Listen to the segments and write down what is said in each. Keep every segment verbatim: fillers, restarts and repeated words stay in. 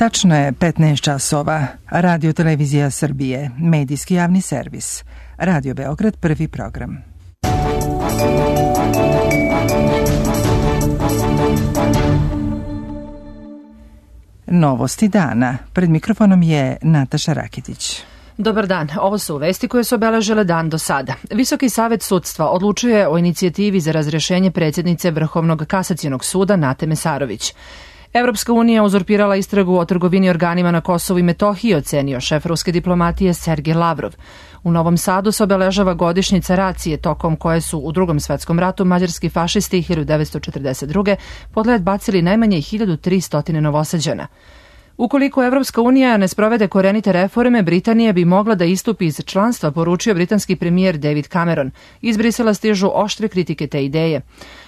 Tačno je petnaest časova. Radio Televizija Srbije, medijski javni servis. Radio Beograd, prvi program. Novosti dana. Pred mikrofonom je Nataša Rakitić. Dobar dan, ovo su vesti koje su obeležile dan do sada. Visoki savet sudstva odlučuje o inicijativi za razrješenje predsjednice Vrhovnog kasacionog suda Nate Mesarović. Evropska unija uzurpirala istragu o trgovini organima na Kosovu i Metohiji, ocenio šef ruske diplomatije Sergej Lavrov. U Novom Sadu se obeležava godišnjica racije tokom koje su u Drugom svetskom ratu mađarski fašisti hiljadu devetsto četrdeset druge pod led bacili najmanje hiljadu tristo Novosađana. Ukoliko Evropska unija ne sprovede korenite reforme, Britanija bi mogla da istupi iz članstva, poručio britanski premijer David Cameron. Iz Brisela stižu oštre kritike te ideje.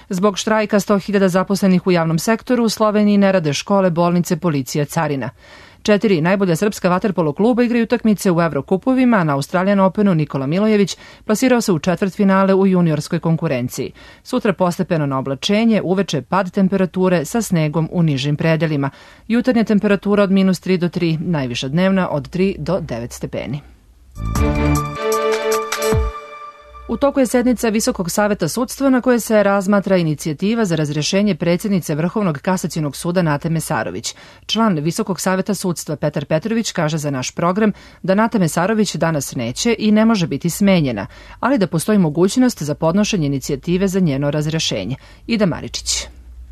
Zbog štrajka sto hiljada zaposlenih u javnom sektoru u Sloveniji ne rade škole, bolnice, policija, carina. Četiri najbolja srpska vaterpolo kluba igraju utakmice u Evrokupovima, a na Australian Openu Nikola Milojević plasirao se u četvrtfinale u juniorskoj konkurenciji. Sutra postepeno na oblačenje, uveče pad temperature sa snegom u nižim predelima. Jutarnja temperatura od minus tri do tri, najviša dnevna od tri do devet stepeni. U toku je sednica Visokog saveta sudstva na kojoj se razmatra inicijativa za razrješenje predsjednice Vrhovnog kasacionog suda Nate Mesarović. Član Visokog saveta sudstva Petar Petrović kaže za naš program da Nata Mesarović danas neće i ne može biti smenjena, ali da postoji mogućnost za podnošenje inicijative za njeno razrješenje. Ida Maričić.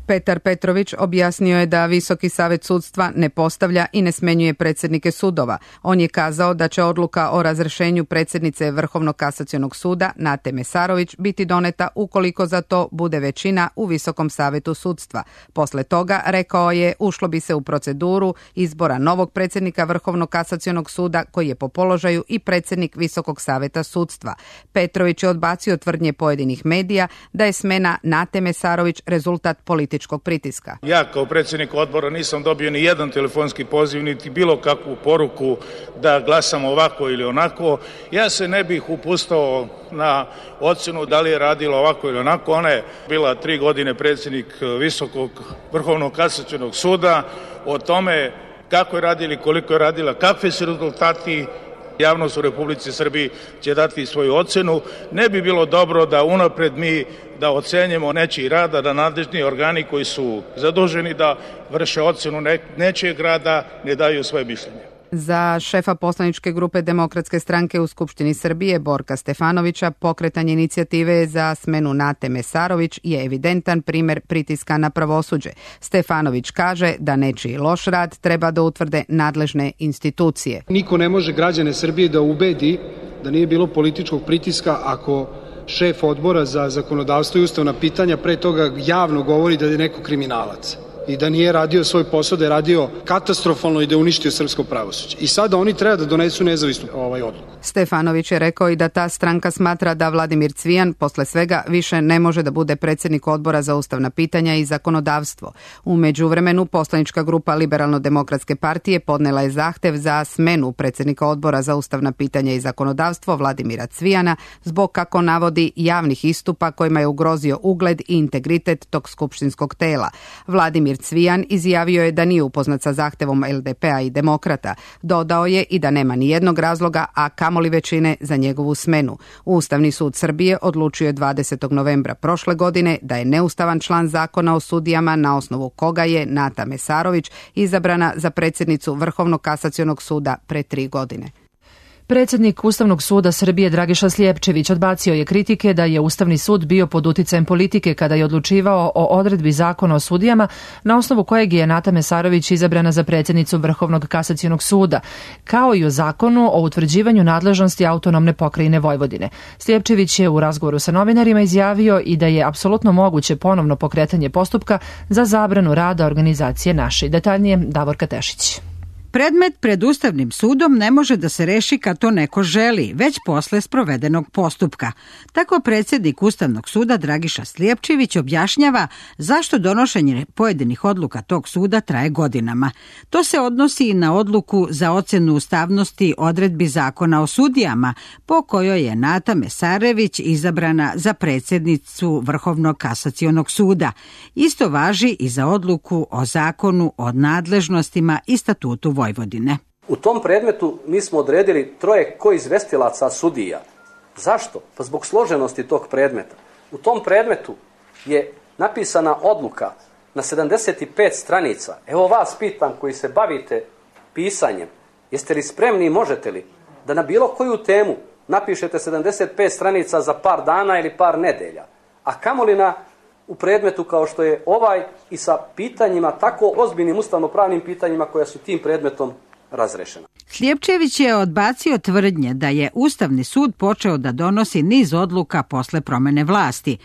Petar Petrović objasnio je da Visoki savet sudstva ne postavlja i ne smenjuje predsjednike sudova. On je kazao da će odluka o razrješenju predsjednice Vrhovnog kasacionog suda Nate Mesarović biti doneta ukoliko za to bude većina u Visokom savetu sudstva. Posle toga, rekao je, ušlo bi se u proceduru izbora novog predsjednika Vrhovnog kasacionog suda koji je po položaju i predsjednik Visokog saveta sudstva. Petrović je odbacio tvrdnje pojedinih medija da je smena Nate Mesarović rezultat političkog pritiska. Ja kao predsjednik odbora nisam dobio ni jedan telefonski poziv, niti bilo kakvu poruku da glasam ovako ili onako. Ja se ne bih upustao na ocenu da li je radila ovako ili onako. Ona je bila tri godine predsjednik Visokog Vrhovnog kasacionog suda. O tome kako je radila, koliko je radila, kakvi su rezultati, javnost u Republici Srbiji će dati svoju ocenu. Ne bi bilo dobro da unapred mi da ocenjemo nečiji rad, da nadležni organi koji su zaduženi da vrše ocenu nečijeg rada ne daju svoje mišljenje. Za šefa poslaničke grupe Demokratske stranke u Skupštini Srbije, Borka Stefanovića, pokretanje inicijative za smenu Nate Mesarović je evidentan primer pritiska na pravosuđe. Stefanović kaže da nečiji loš rad treba da utvrde nadležne institucije. Niko ne može građane Srbije da ubedi da nije bilo političkog pritiska ako šef odbora za zakonodavstvo i ustavna pitanja pre toga javno govori da je neko kriminalac i da nije radio svoj posao, da je radio katastrofalno i da je uništio srpsko pravosuđe. I sada oni treba da donesu nezavisnu ovaj odluku. Stefanović je rekao i da ta stranka smatra da Vladimir Cvijan posle svega više ne može da bude predsjednik odbora za ustavna pitanja i zakonodavstvo. U međuvremenu poslanička grupa Liberalno-demokratske partije podnela je zahtev za smenu predsjednika odbora za ustavna pitanja i zakonodavstvo Vladimira Cvijana zbog, kako navodi, javnih istupa kojima je ugrozio ugled i integritet tog skupštinskog tela. Vladimir Cvijan izjavio je da nije upoznat sa zahtevom L D P-a i demokrata. Dodao je i da nema ni jednog razloga, a kamoli većine za njegovu smenu. Ustavni sud Srbije odlučio je dvadesetog novembra prošle godine da je neustavan član zakona o sudijama na osnovu koga je Nata Mesarović izabrana za predsjednicu Vrhovnog kasacionog suda pre tri godine. Predsjednik Ustavnog suda Srbije Dragiša Slijepčević odbacio je kritike da je Ustavni sud bio pod uticajem politike kada je odlučivao o odredbi zakona o sudijama na osnovu kojeg je Nata Mesarović izabrana za predsjednicu Vrhovnog kasacionog suda, kao i o zakonu o utvrđivanju nadležnosti autonomne pokrajine Vojvodine. Slijepčević je u razgovoru sa novinarima izjavio i da je apsolutno moguće ponovno pokretanje postupka za zabranu rada organizacije Naši. Detaljnije Davorka Tešić. Predmet pred Ustavnim sudom ne može da se reši kad to neko želi, već posle sprovedenog postupka. Tako predsjednik Ustavnog suda Dragiša Slijepčević objašnjava zašto donošenje pojedinih odluka tog suda traje godinama. To se odnosi i na odluku za ocjenu ustavnosti odredbi Zakona o sudijama, po kojoj je Nata Mesarević izabrana za predsjednicu Vrhovnog kasacionog suda. Isto važi i za odluku o Zakonu o nadležnostima i statutu Vojvodine. U tom predmetu mi smo odredili troje koizvestilaca sudija. Zašto? Pa zbog složenosti tog predmeta. U tom predmetu je napisana odluka na sedamdeset pet stranica. Evo vas pitam koji se bavite pisanjem, jeste li spremni i možete li da na bilo koju temu napišete sedamdeset pet stranica za par dana ili par nedelja, a kamoli na u predmetu kao što je ovaj i sa pitanjima, tako ozbiljnim ustavno-pravnim pitanjima koja su tim predmetom razrešena. Slijepčević je odbacio tvrdnje da je Ustavni sud počeo da donosi niz odluka posle promene vlasti.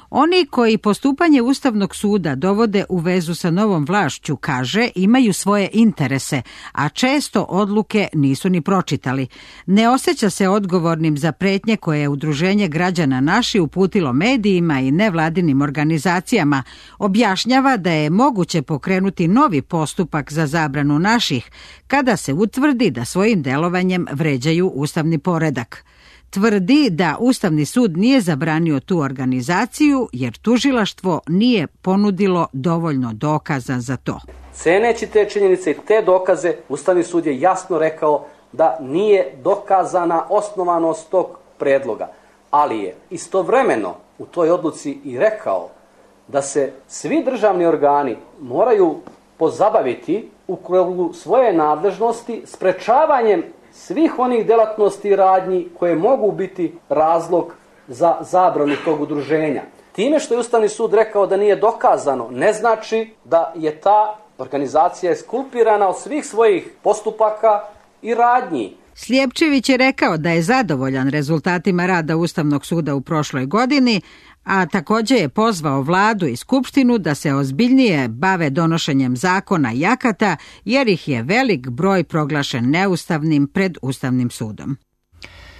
Oni koji postupanje Ustavnog suda dovode u vezu sa novom vlašću, kaže, imaju svoje interese, a često odluke nisu ni pročitali. Ne osjeća se odgovornim za pretnje koje je Udruženje građana Naši uputilo medijima i nevladinim organizacijama. Objašnjava da je moguće pokrenuti novi postupak za zabranu naših, kada se utvrdi da svojim delovanjem vređaju ustavni poredak. Tvrdi da Ustavni sud nije zabranio tu organizaciju jer tužilaštvo nije ponudilo dovoljno dokaza za to. Ceneći te činjenice i te dokaze, Ustavni sud je jasno rekao da nije dokazana osnovanost tog predloga, ali je istovremeno u toj odluci i rekao da se svi državni organi moraju pozabaviti u krugu svoje nadležnosti sprečavanjem svih onih delatnosti i radnji koje mogu biti razlog za zabranu tog udruženja. Time što je Ustavni sud rekao da nije dokazano, ne znači da je ta organizacija eskulpirana od svih svojih postupaka i radnji. Slijepčević je rekao da je zadovoljan rezultatima rada Ustavnog suda u prošloj godini, a također je pozvao vladu i skupštinu da se ozbiljnije bave donošenjem zakona i akata, jer ih je velik broj proglašen neustavnim pred Ustavnim sudom.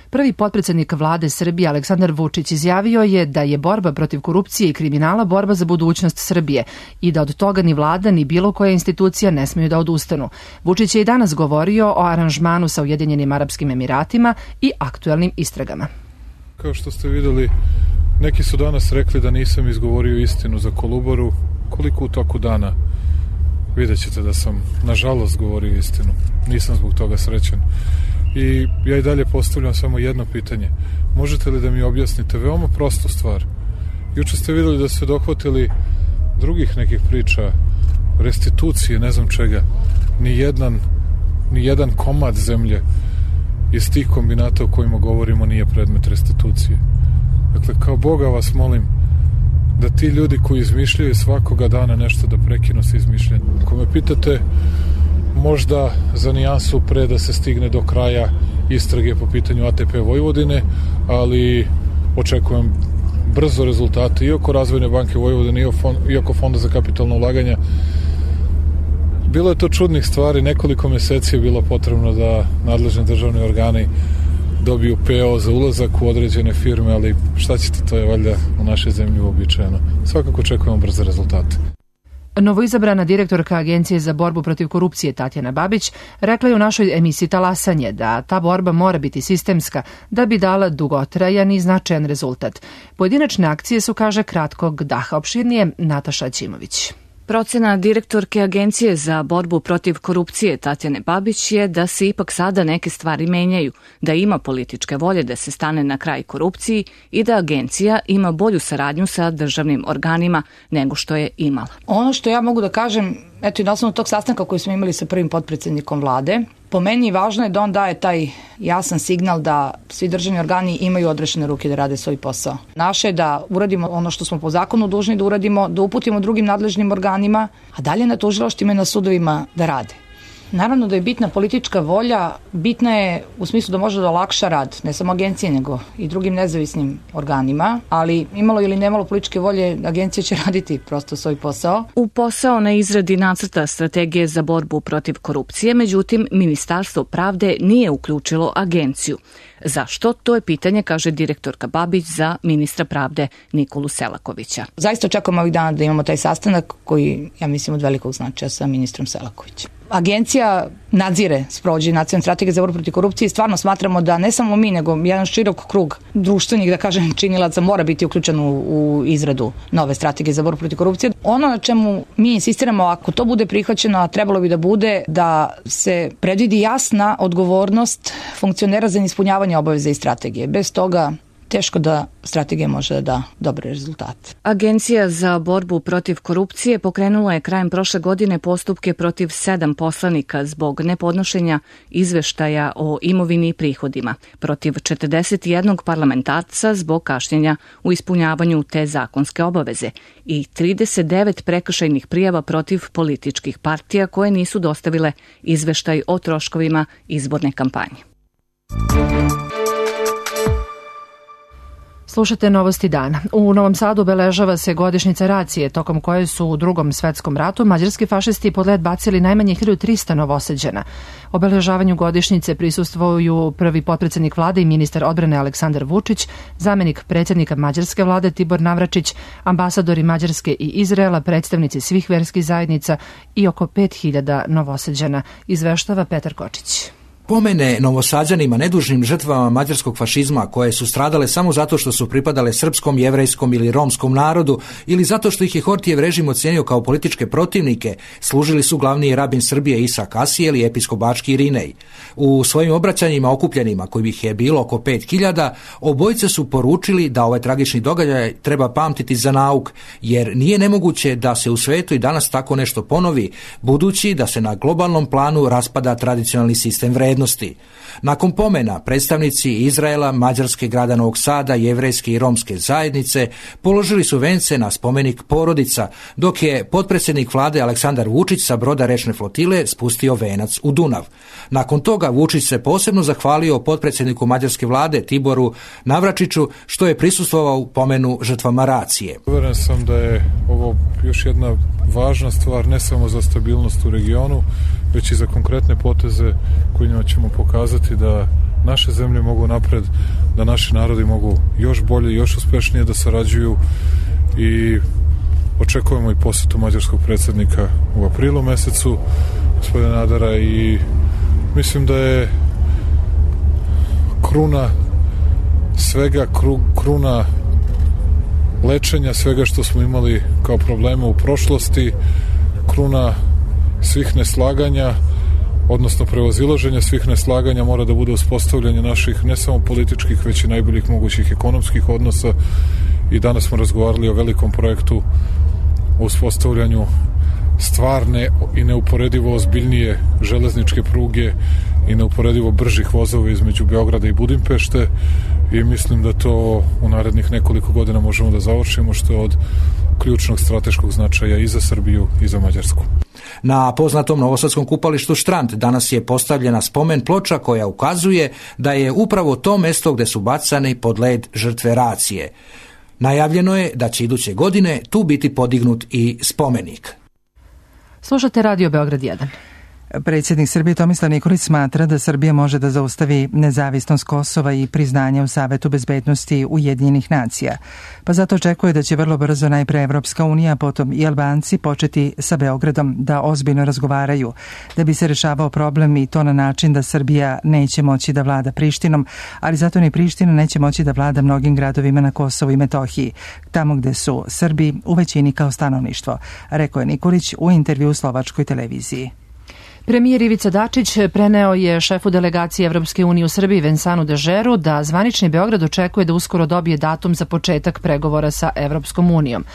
Prvi potpredsjednik vlade Srbije Aleksandar Vučić izjavio je da je borba protiv korupcije i kriminala borba za budućnost Srbije i da od toga ni vlada ni bilo koja institucija ne smiju da odustanu. Vučić je i danas govorio o aranžmanu sa Ujedinjenim Arapskim Emiratima i aktuelnim istragama. Kao što ste vidjeli, neki su danas rekli da nisam izgovorio istinu za Kolubaru. Koliko u toku dana? Vidjet ćete da sam, nažalost, govorio istinu. Nisam zbog toga srećan. I ja i dalje postavljam samo jedno pitanje. Možete li da mi objasnite veoma prostu stvar? Juče ste vidjeli da ste dohvatili drugih nekih priča, restitucije, ne znam čega. Ni jedan, ni jedan komad zemlje iz tih kombinata o kojima govorimo nije predmet restitucije. Dakle, kao Boga vas molim da ti ljudi koji izmišljaju svakoga dana nešto da prekinu sa izmišljanjem. Ako me pitate, možda za nijansu pre da se stigne do kraja istrage po pitanju A T P Vojvodine, ali očekujem brzo rezultate i oko Razvojne banke Vojvodine i oko Fonda za kapitalno ulaganja. Bilo je to čudnih stvari, nekoliko mjeseci je bilo potrebno da nadležni državni organi dobiju P O za ulazak u određene firme, ali šta ćete, to je valjda u našoj zemlji uobičajeno. Svakako očekujemo brze rezultate. Novoizabrana direktorka Agencije za borbu protiv korupcije Tatjana Babić rekla je u našoj emisiji Talasanje da ta borba mora biti sistemska da bi dala dugotrajan i značajan rezultat. Pojedinačne akcije su, kaže, kratkog daha. Opširnije Nataša Ćimović. Procena direktorke Agencije za borbu protiv korupcije Tatjane Babić je da se ipak sada neke stvari menjaju, da ima političke volje da se stane na kraj korupciji i da agencija ima bolju saradnju sa državnim organima nego što je imala. Ono što ja mogu da kažem, eto i na osnovu tog sastanka koji smo imali sa prvim potpredsjednikom vlade, po meni važno je da on daje taj jasan signal da svi državni organi imaju odrešene ruke da rade svoj posao. Naše je da uradimo ono što smo po zakonu dužni da uradimo, da uputimo drugim nadležnim organima, a dalje na tužilaštvima i na sudovima da rade. Naravno da je bitna politička volja, bitna je u smislu da može da olakša rad, ne samo agencije, nego i drugim nezavisnim organima, ali imalo ili nemalo političke volje, agencija će raditi prosto svoj posao. U posao na izradi nacrta strategije za borbu protiv korupcije, međutim, Ministarstvo pravde nije uključilo agenciju. Zašto? To je pitanje, kaže direktorka Babić za ministra pravde Nikolu Selakovića. Zaista očekujemo ovih dana da imamo taj sastanak koji, ja mislim, od velikog značaja sa ministrom Selakovićem. Agencija nadzire sprovođenje nacionalne strategije za borbu protiv korupcije i stvarno smatramo da ne samo mi, nego jedan širok krug društvenih, da kažem, činilaca mora biti uključen u, u izradu nove strategije za borbu protiv korupcije. Ono na čemu mi insistiramo, ako to bude prihvaćeno, a trebalo bi da bude, da se predvidi jasna odgovornost funkcionera za ispunjavanje obaveza i strategije. Bez toga teško da strategija može da da dobre rezultate. Agencija za borbu protiv korupcije pokrenula je krajem prošle godine postupke protiv sedam poslanika zbog nepodnošenja izveštaja o imovini i prihodima, protiv četrdeset jednog parlamentarca zbog kašnjenja u ispunjavanju te zakonske obaveze i trideset devet prekršajnih prijava protiv političkih partija koje nisu dostavile izveštaj o troškovima izborne kampanje. Slušate Novosti dana. U Novom Sadu obeležava se godišnjica racije, tokom koje su u Drugom svetskom ratu mađarski fašisti pod led bacili najmanje hiljadu trista Novosađana. Obeležavanju godišnjice prisustvuju prvi potpredsednik vlade i ministar odbrane Aleksandar Vučić, zamenik predsjednika mađarske vlade Tibor Navračić, ambasadori Mađarske i Izraela, predstavnici svih verskih zajednica i oko pet hiljada Novosađana, izveštava Petar Kočić. Pomene Novosađanima, nedužnim žrtvama mađarskog fašizma koje su stradale samo zato što su pripadale srpskom, jevrejskom ili romskom narodu ili zato što ih je Hortijev režim ocenio kao političke protivnike, služili su glavni rabin Srbije Isak Asijel i episkop bački Irinej. U svojim obraćanjima okupljenima, kojih je bilo oko pet hiljada, obojice su poručili da ovaj tragični događaj treba pamtiti za nauk, jer nije nemoguće da se u svetu i danas tako nešto ponovi, budući da se na globalnom planu raspada tradicionalni sistem vrednosti. Nakon pomena, predstavnici Izraela, Mađarske, grada Novog Sada, jevrejske i romske zajednice položili su vence na spomenik porodica, dok je potpredsjednik vlade Aleksandar Vučić sa broda rečne flotile spustio venac u Dunav. Nakon toga Vučić se posebno zahvalio potpredsjedniku mađarske vlade Tiboru Navračiću što je prisustvovao u pomenu žrtvama racije. Uveren sam da je ovo još jedna važna stvar ne samo za stabilnost u regionu, već i za konkretne poteze kojima ćemo pokazati da naše zemlje mogu napred, da naši narodi mogu još bolje i još uspešnije da sarađuju i očekujemo i posetu mađarskog predsjednika u aprilu mesecu, gospodina Nadara, i mislim da je kruna svega, kru, kruna lečenja svega što smo imali kao probleme u prošlosti, kruna svih neslaganja, odnosno prevazilaženja svih neslaganja mora da bude uspostavljanje naših ne samo političkih, već i najboljih mogućih ekonomskih odnosa. I danas smo razgovarali o velikom projektu o uspostavljanju stvarne i neuporedivo ozbiljnije železničke pruge i neuporedivo bržih vozova između Beograda i Budimpešte, i mislim da to u narednih nekoliko godina možemo da završimo, što je od ključnog strateškog značaja i za Srbiju i za Mađarsku. Na poznatom novosadskom kupalištu Štrand danas je postavljena spomen ploča koja ukazuje da je upravo to mesto gde su bacani pod led žrtve racije. Najavljeno je da će iduće godine tu biti podignut i spomenik. Slušate Radio Beograd jedan. Predsjednik Srbije Tomislav Nikolić smatra da Srbija može da zaustavi nezavisnost Kosova i priznanje u Savetu bezbednosti Ujedinjenih nacija, pa zato očekuje da će vrlo brzo najpre Evropska unija, a potom i Albanci početi sa Beogradom da ozbiljno razgovaraju, da bi se rešavao problem, i to na način da Srbija neće moći da vlada Prištinom, ali zato ni Priština neće moći da vlada mnogim gradovima na Kosovu i Metohiji, tamo gde su Srbi u većini kao stanovništvo, rekao je Nikolić u intervju u slovačkoj televiziji. Premijer Ivica Dačić preneo je šefu delegacije Evropske unije u Srbiji Vensanu Dežeru da zvanični Beograd očekuje da uskoro dobije datum za početak pregovora sa Evropskom unijom.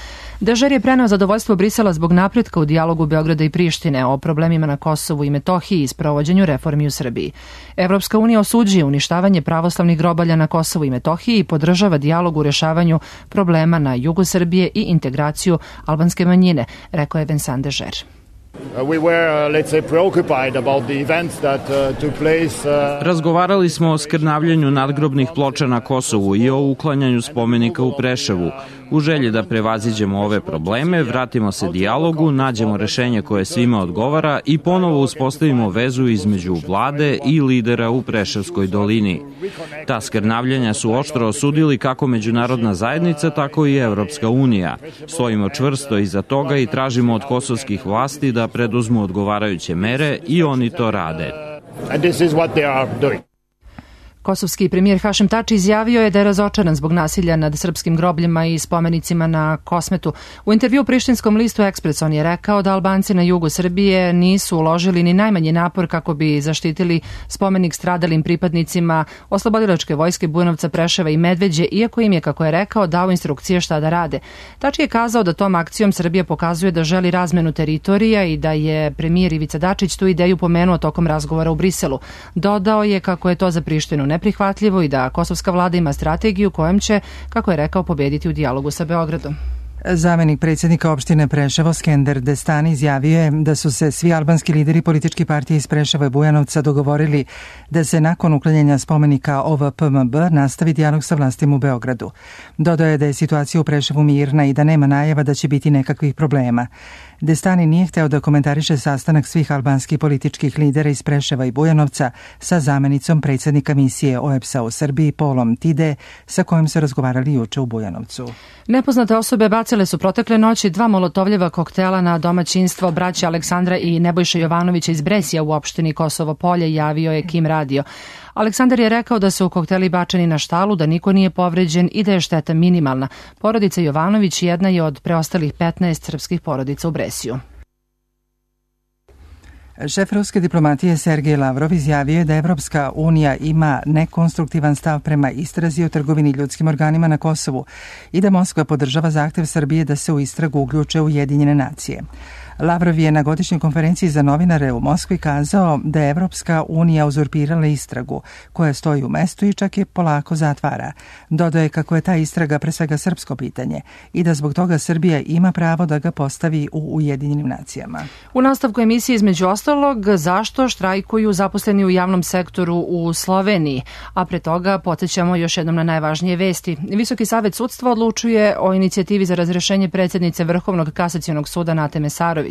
Dežer je preneo zadovoljstvo Brisela zbog napretka u dijalogu Beograda i Prištine o problemima na Kosovu i Metohiji i sprovođenju reformi u Srbiji. Evropska unija osuđuje uništavanje pravoslavnih grobalja na Kosovu i Metohiji i podržava dijalog u rešavanju problema na jugu Srbije i integraciju albanske manjine, rekao je Vensan Dežer. Razgovarali smo o skrnavljanju nadgrobnih ploča na Kosovu i o uklanjanju spomenika u Preševu. U želji da prevaziđemo ove probleme, vratimo se dijalogu, nađemo rešenje koje svima odgovara i ponovo uspostavimo vezu između vlade i lidera u Preševskoj dolini. Ta skrnavljanja su oštro osudili kako međunarodna zajednica, tako i Evropska unija. Stojimo čvrsto iza toga i tražimo od kosovskih vlasti da preduzmu odgovarajuće mere i oni to rade. Kosovski premijer Hašim Tači izjavio je da je razočaran zbog nasilja nad srpskim grobljima i spomenicima na Kosmetu. U intervju prištinskom listu Ekspres on je rekao da Albanci na jugu Srbije nisu uložili ni najmanji napor kako bi zaštitili spomenik stradalim pripadnicima oslobodilačke vojske Bujanovca, Preševa i Medveđe, iako im je, kako je rekao, dao instrukcije šta da rade. Tači je kazao da tom akcijom Srbija pokazuje da želi razmenu teritorija i da je premijer Ivica Dačić tu ideju pomenuo tokom razgovora u Briselu. Dodao je kako je to za Prištinu neprihvatljivo i da kosovska vlada ima strategiju kojom će, kako je rekao, pobediti u dijalogu sa Beogradom. Zamenik predsjednika opštine Preševo Skender Destani izjavio je da su se svi albanski lideri političkih partija iz Preševa i Bujanovca dogovorili da se nakon uklanjanja spomenika O V P M B nastavi dijalog sa vlastima u Beogradu. Dodao je da je situacija u Preševu mirna i da nema najava da će biti nekakvih problema. Destani nije hteo da komentariše sastanak svih albanskih političkih lidera iz Preševa i Bujanovca sa zamenicom predsjednika misije O E B S A u Srbiji Polom Tide, sa kojim se razgovarali juče u Bujanovcu. Nepoznate osobe bacile su protekle noći dva molotovljeva koktela na domaćinstvo braća Aleksandra i Nebojša Jovanovića iz Bresija u opštini Kosovo Polje, javio je Kim radio. Aleksandar je rekao da su kokteli bačeni na štalu, da niko nije povređen i da je šteta minimalna. Porodica Jovanović jedna je od preostalih petnaest srpskih porodica u Bresiju. Šef ruske diplomatije Sergej Lavrov izjavio je da Evropska unija ima nekonstruktivan stav prema istrazi o trgovini ljudskim organima na Kosovu i da Moskva podržava zahtev Srbije da se u istragu uključe Ujedinjene nacije. Lavrov je na godišnjoj konferenciji za novinare u Moskvi kazao da je Evropska unija uzurpirala istragu koja stoji u mestu i čak je polako zatvara. Dodao je kako je ta istraga pre svega srpsko pitanje i da zbog toga Srbija ima pravo da ga postavi u Ujedinjenim nacijama. U nastavku emisije između ostalog zašto štrajkuju zaposleni u javnom sektoru u Sloveniji, a pre toga podsjećamo još jednom na najvažnije vesti. Visoki savet sudstva odlučuje o inicijativi za razrešenje predsjednice Vrhovnog kasacionog suda Nate Mesarović.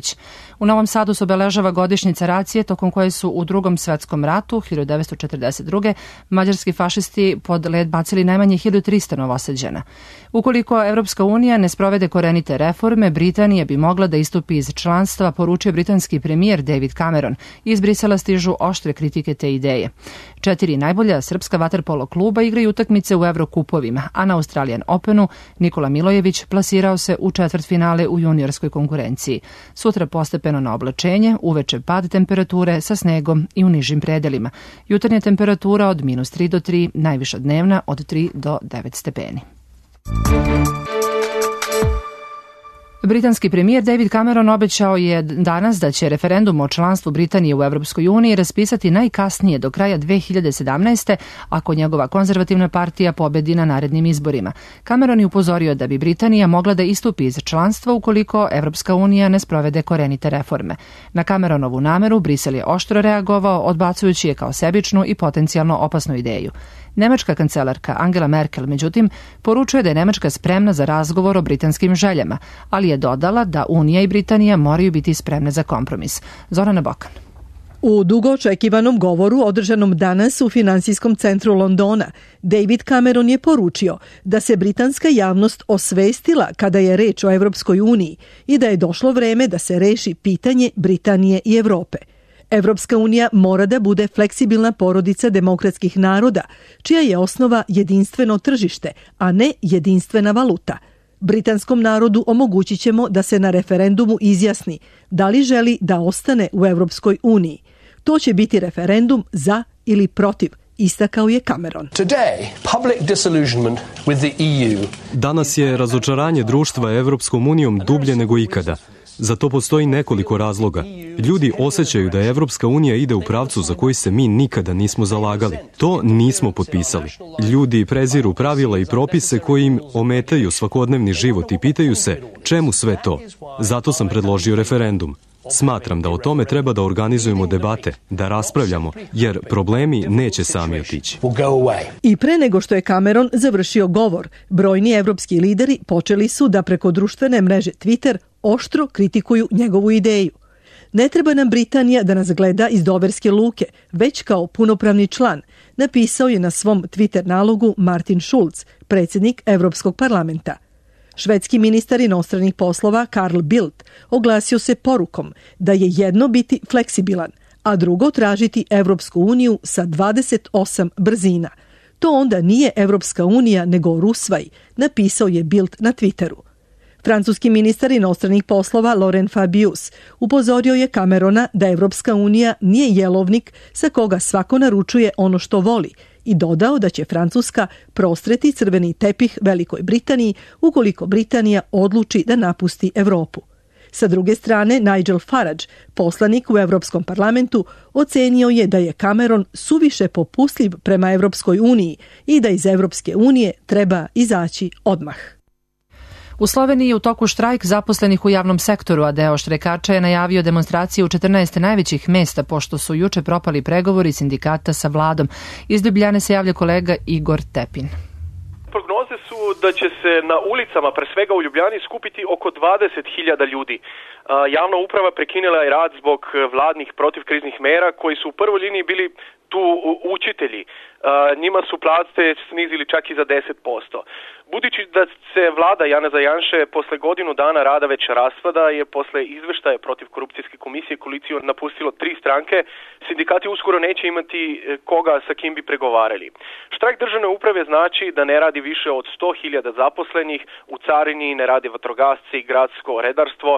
U Novom Sadu se obeležava godišnjica racije tokom koje su u Drugom svetskom ratu hiljadu devetsto četrdeset druge. mađarski fašisti pod led bacili najmanje hiljadu trista Novosađana. Ukoliko Evropska unija ne sprovede korenite reforme, Britanija bi mogla da istupi iz članstva, poručio britanski premijer David Cameron. Iz Brisela stižu oštre kritike te ideje. Četiri najbolja srpska vaterpolo kluba igraju utakmice u Evrokupovima, a na Australian Openu Nikola Milojević plasirao se u četvrtfinale u juniorskoj konkurenciji. Sutra postepeno na oblačenje, uveče pad temperature sa snegom i u nižim predelima. Jutarnja temperatura od minus tri do tri, najviša dnevna od tri do devet stepeni. Britanski premijer David Cameron obećao je danas da će referendum o članstvu Britanije u Evropskoj uniji raspisati najkasnije do kraja dve hiljade sedamnaeste. ako njegova konzervativna partija pobedi na narednim izborima. Cameron je upozorio da bi Britanija mogla da istupi iz članstva ukoliko Evropska unija ne sprovede korenite reforme. Na Cameronovu nameru Brisel je oštro reagovao, odbacujući je kao sebičnu i potencijalno opasnu ideju. Nemačka kancelarka Angela Merkel, međutim, poručuje da je Nemačka spremna za razgovor o britanskim željama, ali je dodala da Unija i Britanija moraju biti spremne za kompromis. Zorana Bokan. U dugo očekivanom govoru održanom danas u finansijskom centru Londona, David Cameron je poručio da se britanska javnost osvestila kada je reč o Evropskoj uniji i da je došlo vreme da se reši pitanje Britanije i Evrope. Evropska unija mora da bude fleksibilna porodica demokratskih naroda, čija je osnova jedinstveno tržište, a ne jedinstvena valuta. Britanskom narodu omogućit ćemo da se na referendumu izjasni da li želi da ostane u Evropskoj uniji. To će biti referendum za ili protiv, istakao je Cameron. Danas je razočaranje društva Evropskom unijom dublje nego ikada. Za to postoji nekoliko razloga. Ljudi osjećaju da Evropska unija ide u pravcu za koji se mi nikada nismo zalagali. To nismo potpisali. Ljudi preziru pravila i propise koji im ometaju svakodnevni život i pitaju se čemu sve to. Zato sam predložio referendum. Smatram da o tome treba da organizujemo debate, da raspravljamo, jer problemi neće sami otići. I pre nego što je Cameron završio govor, brojni evropski lideri počeli su da preko društvene mreže Twitter oštro kritikuju njegovu ideju. Ne treba nam Britanija da nas gleda iz Doverske luke, već kao punopravni član, napisao je na svom Twitter nalogu Martin Schulz, predsjednik Evropskog parlamenta. Švedski ministar inostranih poslova Carl Bildt oglasio se porukom da je jedno biti fleksibilan, a drugo tražiti Evropsku uniju sa dvadeset osam brzina. To onda nije Evropska unija nego Rusvaj, napisao je Bildt na Twitteru. Francuski ministar inostranih poslova Laurent Fabius upozorio je Camerona da Evropska unija nije jelovnik sa koga svako naručuje ono što voli i dodao da će Francuska prostreti crveni tepih Velikoj Britaniji ukoliko Britanija odluči da napusti Evropu. Sa druge strane, Nigel Farage, poslanik u Evropskom parlamentu, ocenio je da je Cameron suviše popustljiv prema Evropskoj uniji i da iz Evropske unije treba izaći odmah. U Sloveniji je u toku štrajk zaposlenih u javnom sektoru, a deo štrajkača je najavio demonstracije u četrnaest najvećih mesta, pošto su juče propali pregovori sindikata sa vladom. Iz Ljubljane se javlja kolega Igor Tepin. Prognoze su da će se na ulicama, pre svega u Ljubljani, skupiti oko dvadeset hiljada ljudi. Javna uprava prekinula je rad zbog vladnih protivkriznih mera koji su u prvoj liniji bili tu učitelji. Njima su plate snizili čak i za deset posto. Budući da se vlada Janeza Janše posle godinu dana rada već raspada, je posle izveštaja protiv korupcijske komisije koaliciju napustilo tri stranke, sindikati uskoro neće imati koga sa kim bi pregovarali. Štrajk državne uprave znači da ne radi više od sto hiljada zaposlenih, u carini ne radi vatrogasci, gradsko redarstvo,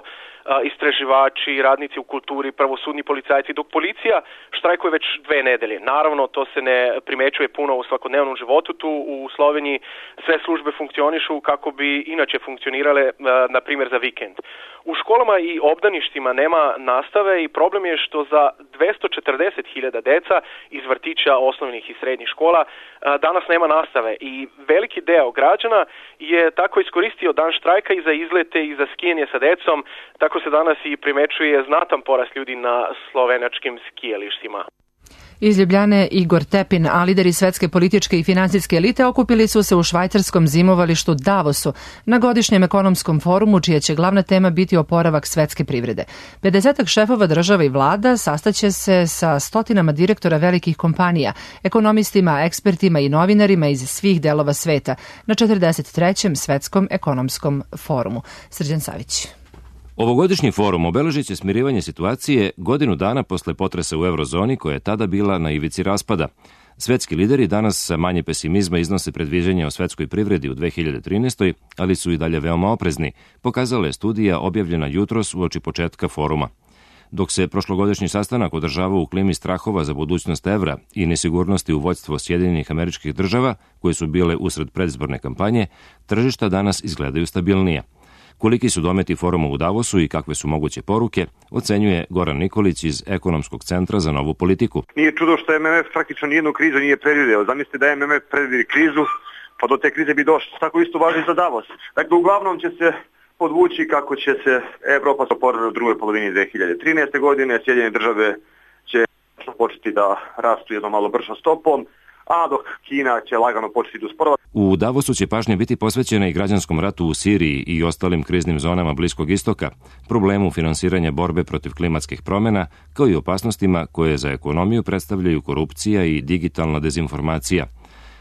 istraživači, radnici u kulturi, pravosudni policajci, dok policija štrajkuje već dve nedelje. Naravno, to se ne primećuje puno u svakodnevnom životu. Tu u Sloveniji sve službe funkcionišu kako bi inače funkcionirale, na primjer, za vikend. U školama i obdaništima nema nastave i problem je što za dvesta četrdeset hiljada deca iz vrtića, osnovnih i srednjih škola danas nema nastave i veliki deo građana je tako iskoristio dan štrajka i za izlete i za skijanje sa decom, tako se danas i primećuje znatan porast ljudi na slovenačkim skijalištima. Iz Ljubljane Igor Tepin, a lideri svetske političke i finansijske elite okupili su se u švajcarskom zimovalištu Davosu na godišnjem ekonomskom forumu, čija će glavna tema biti oporavak svetske privrede. pedesetak šefova država i vlada sastaće se sa stotinama direktora velikih kompanija, ekonomistima, ekspertima i novinarima iz svih delova sveta na četrdeset trećem svetskom ekonomskom forumu. Srđan Savić. Ovogodišnji forum obeležit će smirivanje situacije godinu dana posle potresa u eurozoni koja je tada bila na ivici raspada. Svetski lideri danas sa manje pesimizma iznose predviđanja o svetskoj privredi u dve hiljade trinaestoj. ali su i dalje veoma oprezni, pokazala je studija objavljena jutros uoči početka foruma. Dok se prošlogodišnji sastanak održava u klimi strahova za budućnost evra i nesigurnosti u vođstvo Sjedinjenih Američkih Država, koje su bile usred predizborne kampanje, tržišta danas izgledaju stabilnije. Koliki su dometi foruma u Davosu i kakve su moguće poruke, ocenjuje Goran Nikolić iz Ekonomskog centra za novu politiku. Nije čudo što M M F praktično nijednu krizu nije predvideo. Zamislite da M M F predvidi krizu, pa do te krize bi došlo. Tako isto važi za Davos. Dakle, uglavnom će se podvući kako će se Evropa oporaviti u drugoj polovini dve hiljade trinaeste. godine, Sjedinjene države će početi da rastu jednom malo bržom stopom, a dok Kina će lagano početi da usporava. U Davosu će pažnja biti posvećena i građanskom ratu u Siriji i ostalim kriznim zonama Bliskog istoka, problemu finansiranja borbe protiv klimatskih promjena, kao i opasnostima koje za ekonomiju predstavljaju korupcija i digitalna dezinformacija.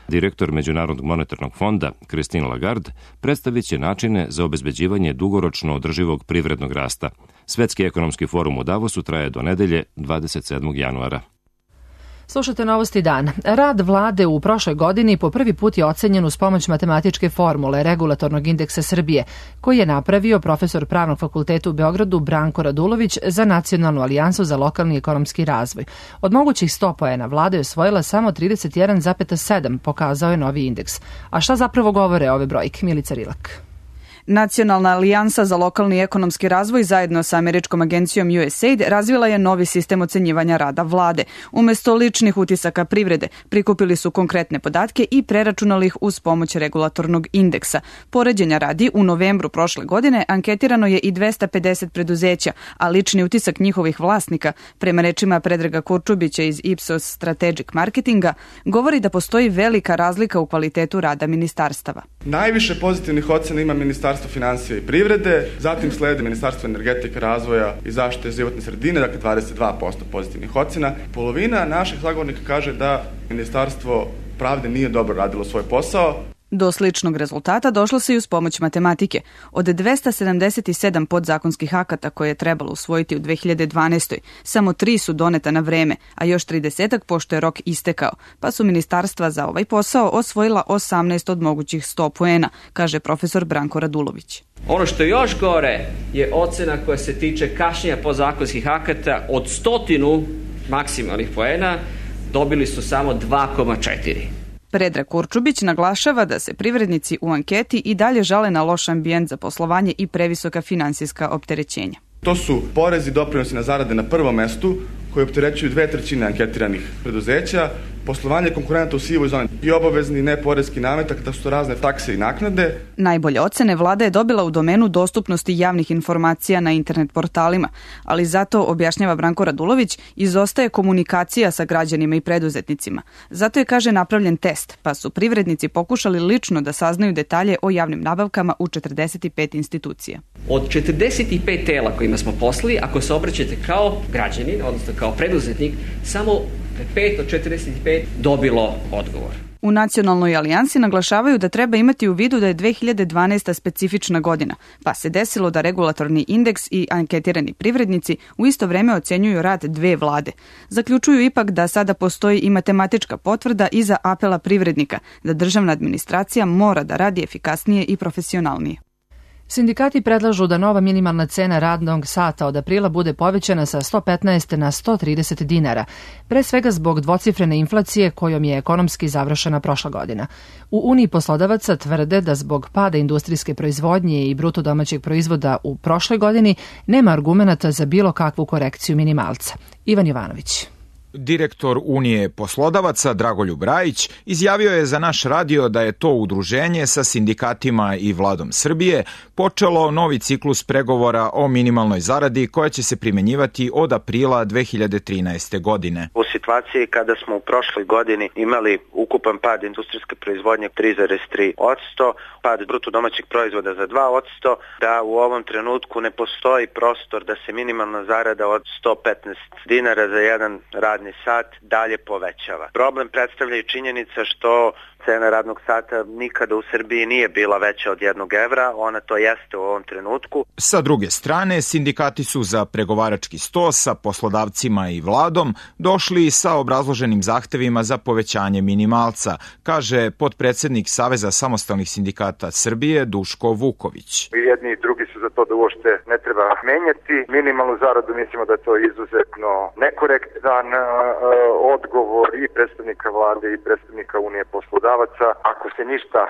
Direktor Međunarodnog monetarnog fonda, Christine Lagarde, predstavit će načine za obezbeđivanje dugoročno održivog privrednog rasta. Svetski ekonomski forum u Davosu traje do nedelje dvadeset sedmog januara. Slušate Novosti dan. Rad vlade u prošloj godini po prvi put je ocenjen uz pomoć matematičke formule regulatornog indeksa Srbije, koji je napravio profesor Pravnog fakulteta u Beogradu Branko Radulović za Nacionalnu alijansu za lokalni ekonomski razvoj. Od mogućih sto poena vlada je osvojila samo trideset jedan zarez sedam, pokazao je novi indeks. A šta zapravo govore ove brojke? Milica Rilak. Nacionalna alijansa za lokalni ekonomski razvoj zajedno sa američkom agencijom U S A I D razvila je novi sistem ocenjivanja rada vlade. Umesto ličnih utisaka privrede, prikupili su konkretne podatke i preračunali ih uz pomoć regulatornog indeksa. Poređenja radi, u novembru prošle godine anketirano je i dvesta pedeset preduzeća, a lični utisak njihovih vlasnika, prema rečima Predraga Kurčubića iz Ipsos Strategic Marketinga, govori da postoji velika razlika u kvalitetu rada ministarstava. Najviše pozitivnih ocena ima Ministarstvo finansija i privrede, zatim slede Ministarstvo energetike, razvoja i zaštite životne sredine, dakle dvadeset dva posto pozitivnih ocena. Polovina naših sagovornika kaže da Ministarstvo pravde nije dobro radilo svoj posao. Do sličnog rezultata došlo se i uz pomoć matematike. Od dvesta sedamdeset sedam podzakonskih akata koje je trebalo usvojiti u dve hiljade dvanaestoj. samo tri su doneta na vreme, a još tridesetak pošto je rok istekao, pa su ministarstva za ovaj posao osvojila osamnaest od mogućih sto poena, kaže profesor Branko Radulović. Ono što je još gore je ocena koja se tiče kašnjenja podzakonskih akata. Od stotinu maksimalnih poena dobili su samo dva zarez četiri. Predrag Kurčubić naglašava da se privrednici u anketi i dalje žale na loš ambijent za poslovanje i previsoka finansijska opterećenja. To su porezi i doprinosi na zarade na prvom mestu, koji opterećuju dve trećine anketiranih preduzeća, poslovanje konkurenta u sivoj zoni i obavezni neporeski nametak, da su to razne takse i naknade. Najbolje ocene vlada je dobila u domenu dostupnosti javnih informacija na internet portalima, ali zato, objašnjava Branko Radulović, izostaje komunikacija sa građanima i preduzetnicima. Zato je, kaže, napravljen test, pa su privrednici pokušali lično da saznaju detalje o javnim nabavkama u četrdeset pet institucija. Od četrdeset pet tela kojima smo poslali, ako se obraćate kao građanin, odnosno kao preduzetnik, samo pet od četrdeset pet dobilo odgovor. U Nacionalnoj alijansi naglašavaju da treba imati u vidu da je dve hiljade dvanaesta. specifična godina, pa se desilo da regulatorni indeks i anketirani privrednici u isto vreme ocenjuju rad dve vlade. Zaključuju ipak da sada postoji i matematička potvrda iza apela privrednika, da državna administracija mora da radi efikasnije i profesionalnije. Sindikati predlažu da nova minimalna cena radnog sata od aprila bude povećana sa sto petnaest na sto trideset dinara, pre svega zbog dvocifrene inflacije kojom je ekonomski završena prošla godina. U Uniji poslodavaca tvrde da zbog pada industrijske proizvodnje i bruto domaćeg proizvoda u prošloj godini nema argumenata za bilo kakvu korekciju minimalca. Ivan Jovanović. Direktor Unije poslodavaca Dragoljub Rajić izjavio je za naš radio da je to udruženje sa sindikatima i vladom Srbije počelo novi ciklus pregovora o minimalnoj zaradi koja će se primenjivati od aprila dve hiljade trinaeste. godine. U situaciji kada smo u prošloj godini imali ukupan pad industrijske proizvodnje tri zarez tri posto, pad bruto domaćeg proizvoda za dva posto, da u ovom trenutku ne postoji prostor da se minimalna zarada od sto petnaest dinara za jedan rad sat dalje povećava. Problem predstavlja i činjenica što cena radnog sata nikada u Srbiji nije bila veća od jednog evra, ona to jeste u ovom trenutku. Sa druge strane, sindikati su za pregovarački sto sa poslodavcima i vladom došli sa obrazloženim zahtevima za povećanje minimalca, kaže potpredsednik Saveza samostalnih sindikata Srbije Duško Vuković. I jedni i drugi su za to da uopšte ne treba menjati. Minimalnu zaradu mislimo da je to izuzetno nekorektan uh, odgovor i predstavnika vlade i predstavnika Unije poslodavaca. Ako se ništa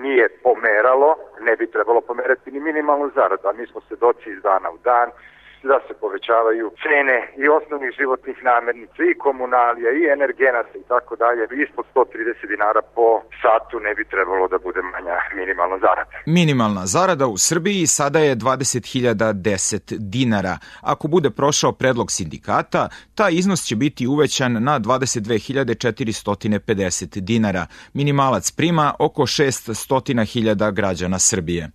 nije pomeralo, ne bi trebalo pomerati ni minimalnu zaradu, a mi smo svedoci iz dana u dan da se povećavaju cene i osnovnih životnih namirnica i komunalija i energenata i tako dalje. Ispod sto trideset dinara po satu ne bi trebalo da bude manja minimalna zarada. Minimalna zarada u Srbiji sada je dvadeset hiljada deset dinara. Ako bude prošao predlog sindikata, taj iznos će biti uvećan na dvadeset dve hiljade četiristo pedeset dinara. Minimalac prima oko šeststo hiljada građana Srbije.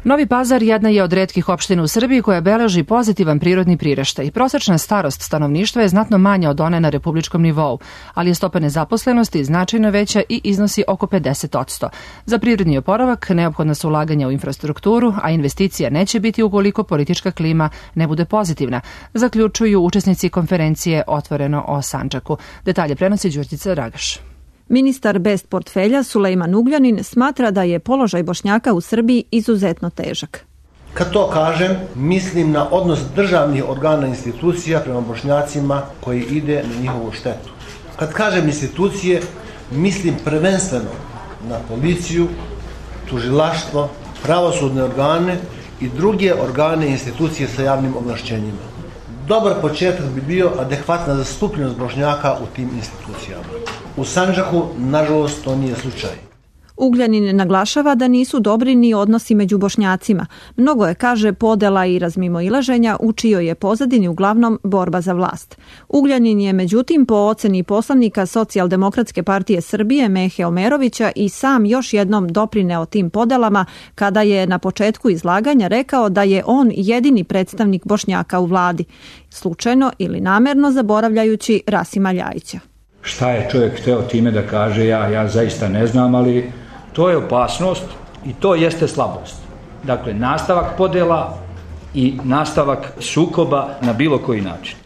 Novi Pazar jedna je od retkih opština u Srbiji koja beleži pozitivan prirodni priraštaj. Prosečna starost stanovništva je znatno manja od one na republičkom nivou, ali je stopa nezaposlenosti značajno veća i iznosi oko pedeset posto. Za privredni oporavak neophodna su ulaganja u infrastrukturu, a investicija neće biti ukoliko politička klima ne bude pozitivna, zaključuju učesnici konferencije Otvoreno o Sandžaku. Detalje prenosi Đurđica Ragaš. Ministar bez portfelja Sulejman Ugljanin smatra da je položaj Bošnjaka u Srbiji izuzetno težak. Kad to kažem, mislim na odnos državnih organa i institucija prema Bošnjacima koji ide na njihovu štetu. Kad kažem institucije, mislim prvenstveno na policiju, tužilaštvo, pravosudne organe i druge organe i institucije sa javnim ovlašćenjima. Dobar početak bi bio adekvatna zastupljenost Bošnjaka u tim institucijama. U Sandžaku, nažalost, to nije slučaj. Ugljanin naglašava da nisu dobri ni odnosi među Bošnjacima. Mnogo je, kaže, podela i razmimoilaženja u čijoj je pozadini uglavnom borba za vlast. Ugljanin je, međutim, po oceni poslanika Socijaldemokratske partije Srbije Mehe Omerovića i sam još jednom doprineo tim podelama kada je na početku izlaganja rekao da je on jedini predstavnik Bošnjaka u vladi, slučajno ili namerno zaboravljajući Rasima Ljajića. Šta je čovjek hteo time da kaže, ja, ja zaista ne znam, ali to je opasnost i to jeste slabost. Dakle, nastavak podela i nastavak sukoba na bilo koji način.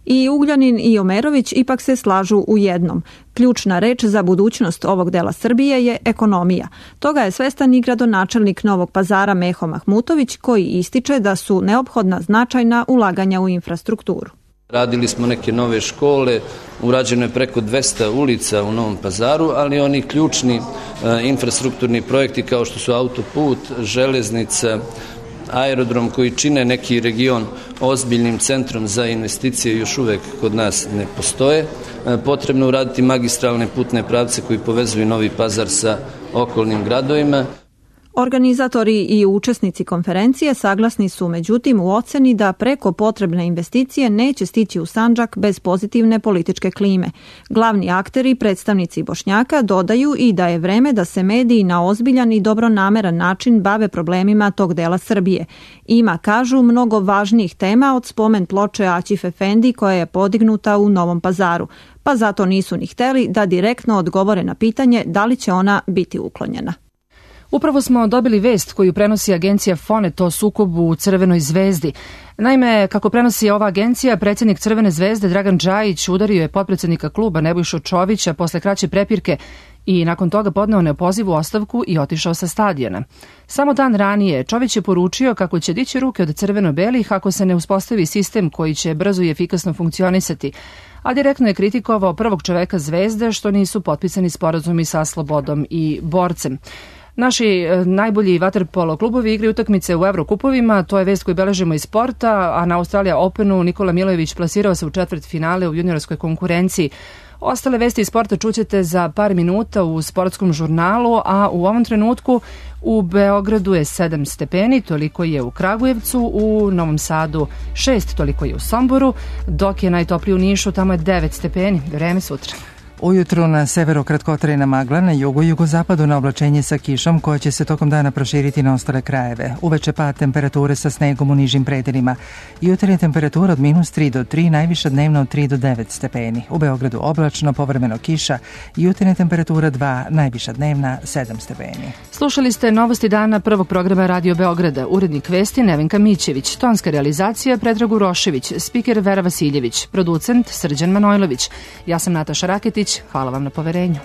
I Ugljanin i Omerović ipak se slažu u jednom. Ključna reč za budućnost ovog dela Srbije je ekonomija. Toga je svestan i gradonačelnik Novog Pazara Meho Mahmutović, koji ističe da su neophodna značajna ulaganja u infrastrukturu. Radili smo neke nove škole, urađeno je preko dvesta ulica u Novom Pazaru, ali oni ključni e, infrastrukturni projekti kao što su autoput, železnica, aerodrom koji čine neki region ozbiljnim centrom za investicije još uvek kod nas ne postoje. E, potrebno uraditi magistralne putne pravce koji povezuju Novi Pazar sa okolnim gradovima. Organizatori i učesnici konferencije saglasni su međutim u oceni da preko potrebne investicije neće stići u Sandžak bez pozitivne političke klime. Glavni akteri, predstavnici Bošnjaka, dodaju i da je vreme da se mediji na ozbiljan i dobronameran način bave problemima tog dela Srbije. Ima, kažu, mnogo važnijih tema od spomen ploče Aćif Efendi koja je podignuta u Novom Pazaru, pa zato nisu ni hteli da direktno odgovore na pitanje da li će ona biti uklonjena. Upravo smo dobili vest koju prenosi agencija Fonet o sukobu u Crvenoj zvezdi. Naime, kako prenosi ova agencija, predsjednik Crvene zvezde Dragan Džajić udario je potpredsjednika kluba Nebojšu Čovića posle kraće prepirke i nakon toga podneo neopozivu ostavku i otišao sa stadiona. Samo dan ranije Čović je poručio kako će dići ruke od crveno-belih ako se ne uspostavi sistem koji će brzo i efikasno funkcionisati, a direktno je kritikovao prvog čoveka Zvezde što nisu potpisani sporazumi sa Slobodom i Borcem. Naši najbolji vaterpolo klubovi igraju utakmice u Evrokupovima, to je vest koju beležimo iz sporta, a na Australija Openu Nikola Milojević plasirao se u četvrt finale u juniorskoj konkurenciji. Ostale vesti iz sporta čućete za par minuta u sportskom žurnalu, a u ovom trenutku u Beogradu je sedam stepeni, toliko je u Kragujevcu, u Novom Sadu šest, toliko je u Somboru, dok je najtoplije u Nišu, tamo je devet stepeni. Vreme sutra. Ujutru na severu kratkotrajna magla, na jugu i jugozapadu na oblačenje sa kišom koja će se tokom dana proširiti na ostale krajeve. Uveče pad temperature sa snegom u nižim predelima. Jutarnja temperatura od minus tri do tri, najviša dnevna od tri do devet stepeni. U Beogradu oblačno, povremeno kiša, jutarnja temperatura dva, najviša dnevna sedam stepeni. Slušali ste novosti dana prvog programa Radio Beograda. Urednik vesti Nevenka Mićević, tonska realizacija Predrag Urošević, spiker Vera Vasiljević, producent Srđan Manojlović. Ja sam Nataša Raketić. Hvala vam na poverenju.